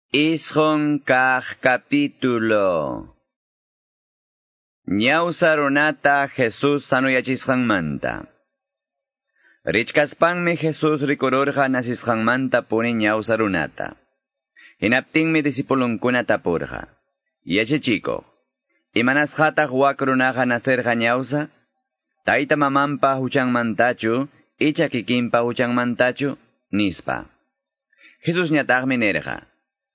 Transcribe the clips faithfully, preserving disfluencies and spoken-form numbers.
Isqun kaq capítulo. Ñawsa runata Jesús sanuyachisqanmanta. Richkaspanmi Jesús rikururqa nasisqanmanta puni ñawsa runata. Hinaptinmi disipulunkuna tapurqa. Yachachikuq, imanasqataq wak runaqa nacerqa ñawsa? Tayta mamanpa huchanmantachu, icha kikinpa huchanmantachu, nispa. Jesusñataqmi nirqa.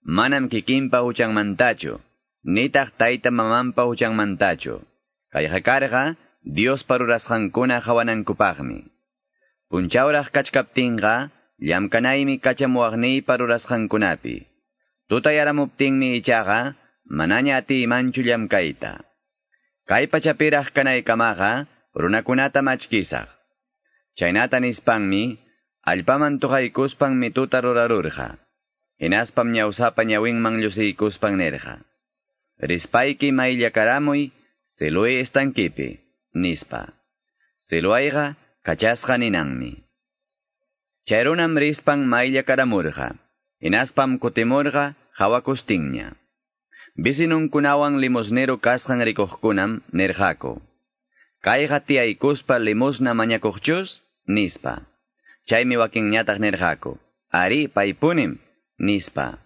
Manam kikinpa huchanmantachu, nitaq tayta mamanpa huchanmantachu. Kayqa karqa Diospa rurasqankuna qawanankupaqmi. Punchawraq kachkaptinqa llamkanaymi kachamuwaqniypa rurasqankunapi. Tutayaramuptinmi ichaqa manaña atiymanchu llamkayta. Kay pachapiraq kanaykamaqa runakunata machkisaq. Chaynata nispanmi allpaman tuqaykuspan mituta rurarurqa. Hinaspam ñawsapa ñawinman llusiykuspan nirqa. Rispayki mayllakaramuy Siloé estankipi, nispa. Siloayqa kachasqa ninanmi. Chay runam rispan mayllakaramurqa. Hinaspam kutimurqa hawakustinña. Bisinunkunawan limosnero kasqan rikuqkunam nirqaku. Kayqa tiyaykuspa limosna mañakuqchus, nispa. Chaymi wakinñataq nirqaku. Ari paypunim, nispa.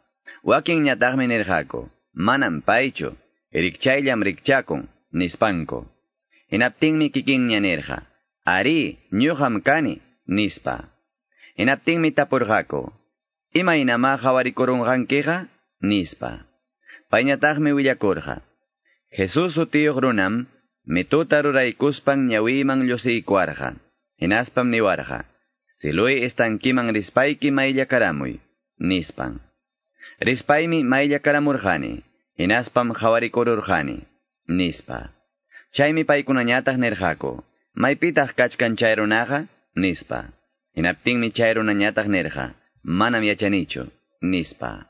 Wakinñataqmi nirqaku. Manam paychu, rikchayllam rikchakun, nispanku. Hinaptinmi kikinña nirqa. Ari, ñuqam kani, nispa. Hinaptinmi tapurqaku. Imaynamá qhawarikurunqankiqa, nispa. Payñataqmi willakurqa. Jesús sutiyuq runam, mituta ruraykuspan ñawiyman llusiykuwarqa. Hinaspam niwarqa. Siloé estankiman rispayki mayllakaramuy, nispan. Rispaymi mayllakaramurqani, hinaspam qhawarikururqani, nispa. Chaymi paykunañataq nirqaku, maypitaq kachkan chay runaqa, nispa. Hinaptinmi chay runañataq nirqa, manam yachanichu, nispa.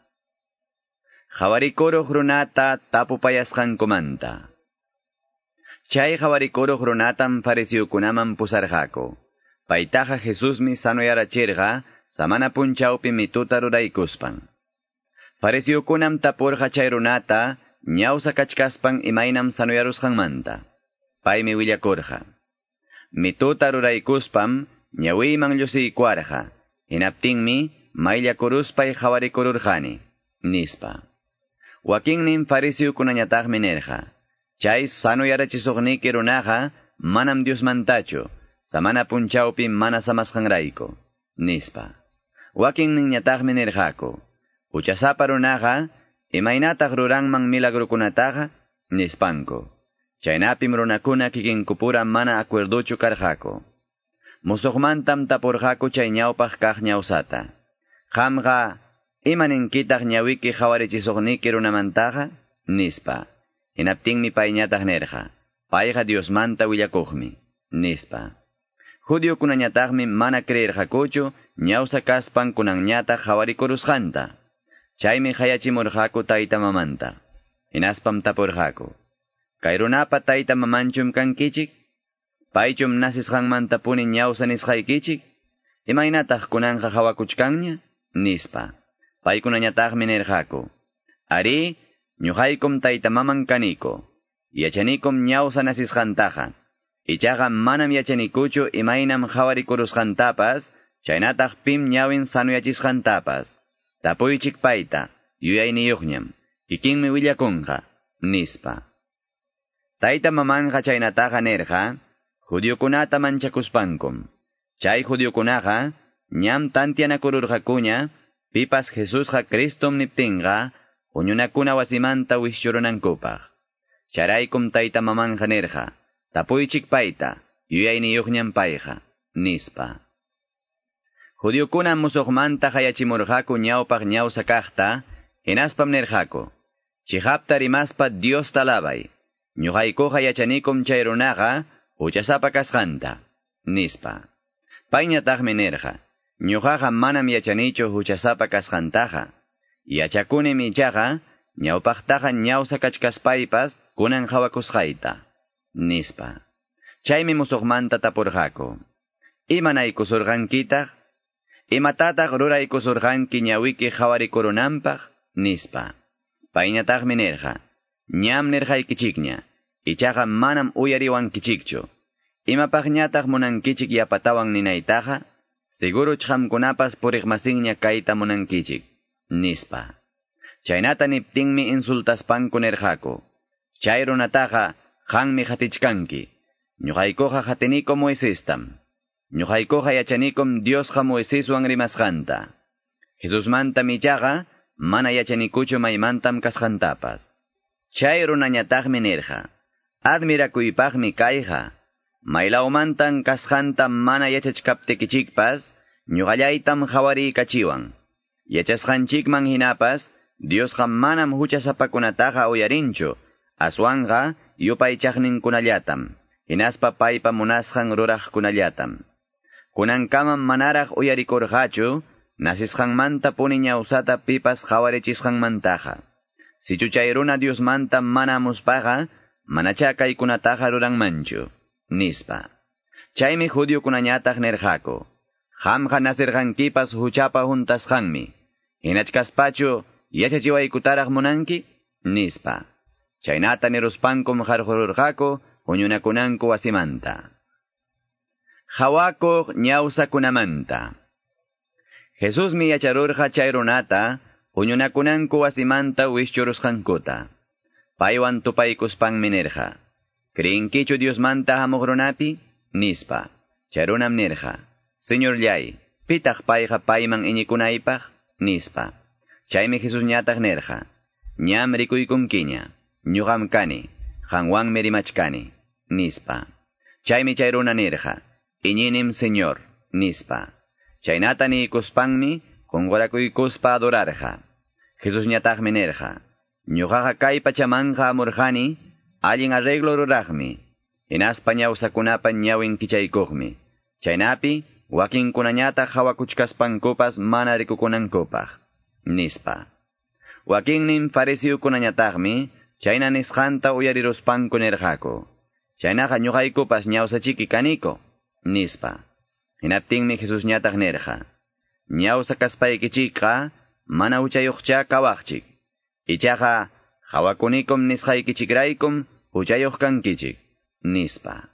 Qhawarikuruq runata tapupayasqankumanta. Chay qhawarikuruq runatam fariseokunaman pusarqaku. Paytaqa Jesusmi sanuyarachirqa, samana punchawpi mituta ruraykuspan. Fariseokunam tapurqa chay runata, ñawsa kachkaspan imaynam sanuyarusqanmanta. Paymi willakurqa. Mituta ruraykuspam ñawiyman llusiykuwarqa. Hinaptinmi mayllakuruspay qhawarikururqani, nispa. Wakinnin fariseokunañataqmi nirqa. Chay sanuyarachisuqniki runaqa manam Diosmantachu, samana punchawpi mana samasqanrayku, nispa. Wakinninñataqmi nirqaku. Huchasapa runaqa imaynataq ruranman milagrukunataqa, nispanku. Chaynapim runakuna kikinkupura mana acuerduchu karqaku. Musuqmantam tapurqaku chay ñawpaq kaq ñawsata. Qamqa imaninkitaq ñawiki qhawarichisuqniki runamantaqa, nispa. Hinaptinmi payñataq nirqa. Payqa Diosmanta willakuqmi, nispa. Judiokunañataqmi mana creerqakuchu ñawsa kaspan kunanñataq qhawarikurusqanta. Chaymi hayachimurqaku tayta mamanta. Hinaspam tapurqaku. Kay runapa tayta mamanchum kankichik? Paychum nasisqanmantapuni ñawsa nisqaykichik? Imaynataq kunanqa qhawakuchkanña? Nispa. Paykunañataqmi nirqaku. Ari, ñuqaykum tayta maman kaniko. Yachanikum ñawsa nasisqantaqa. Ichaqa manam yachanikuchu imaynam qhawarikurusqantapas, chaynataq pim ñawin sanuyachisqantapas. Tapuychik payta, yuyayniyuqñam, kikinmi willakunqa, nispa. Tayta mamanqa chaynataqa nirqa, judiokunata manchakuspankum. Chay judiokunaqa, ñam tantianakururqakuña, pipas Jesusqa Cristom niptinqa, huñunakuna wasimanta wischurunankupaq. Charaykum tayta mamanqa nirqa, tapuychik payta, yuyayniyuqñam payqa, nispa. Judiokunam musuqmanta hayachimurqaku ñawpaq ñawsa kaqta, hinaspam nirqaku. Chiqapta rimaspa Diosta alabay. Ñuqaykuqa yachanikum chay runaqa huchasapa kasqanta, nispa. Payñataqmi nirqa, ñuqaqa manam yachanichu huchasapa kasqantaqa. Yachakunim ichaqa ñawpaqtaqa ñawsa kachkaspaypas kunan qhawakusqayta, nispa. Chaymi musuqmanta tapurqaku. Imanaykusurqankitaq? Imatataq ruraykusurqanki ñawiki qhawarikurunanpaq? Nispa. Payñataqmi nirqa, ñam nirqaykichikña, ichaqa manam uyariwankichikchu. Imapaqñataq munankichik yapatawan ninaytaqa, seguruch qamkunapas puriqmasinña kayta munankichik, nispa. Chaynata niptinmi insultaspanku nirqaku. Chay runataqa qanmi qatichkanki. Ñuqaykuqa qatiniku Moisestam. Ñuqaykuqa yachanikum Diosqa Moiseswan rimasqanta. Jesusmantam ichaqa mana yachanikuchu maymantam kasqantapas. Chay runañataqmi nirqa, admirakuypaqmi kayqa. Maylawmantan kasqanta mana yachachkaptikichikpas, ñuqallaytam qhawariykachiwan. Yachasqanchikman hinapas, Diosqa manam huchasapakunataqa uyarinchu, aswanqa yupaychaqninkunallatam, hinaspa paypa munasqan ruraqkunallatam. Kunankamam manaraq uyarikurqachu, nasisqanmanta puni ñawsata pipas qhawarichisqanmantaqa. Sichu chay runa Diosmanta mana muspaqa, manacha kaykunataqa ruranmanchu, nispa. Chaymi judiokunañataq nirqaku, qamqa nasirqankipas huchapa huntasqanmi, hinachkaspachu yachachiwaykutaraq munanki, nispa. Chaynata niruspankum qarqururqaku huñunakunanku wasimanta. Hawakuq ñawsakunamanta. Jesusmi yacharurqa chay runata huñunakunanku wasimanta wischurusqankuta. Paywan tupaykuspanmi nirqa, ¿creenkichu Diosmanta hamuq runapi? Nispa. Chay runam nirqa, Señorllay, pitaq payqa payman iñikunaypaq? Nispa. Chaymi Jesusñataq nirqa, ñam rikuykunkiña, ñuqam kani, qanwanmi rimachkani, nispa. Chaymi chay runa nirqa, iñinim Señor, nispa. Chaynata niykuspanmi qunqurakuykuspa adorarqa. Jesusñataqmi nirqa, ñuqaqa kay pachamanqa amurqani, allin arreglo ruraqmi, hinaspa ñawsakunapa ñawin kichaykuqmi. Chaynapi wakinkunañataq hawakuchkaspankupas mana rikukunankupaq, nispa. Wakinnin fariseokunañataqmi chayna nisqanta uyariruspanku nirqaku, chaynaqa ñuqaykupas ñawsachiki kaniko, nispa. Hinaptinmi Jesusñataq nirqa, ñawsa kaspaykichikqa mana huchayuqcha kawaqchik. Ichaqa hawakunikum nisqaykichikraykum huchayuq kankichik, nispa.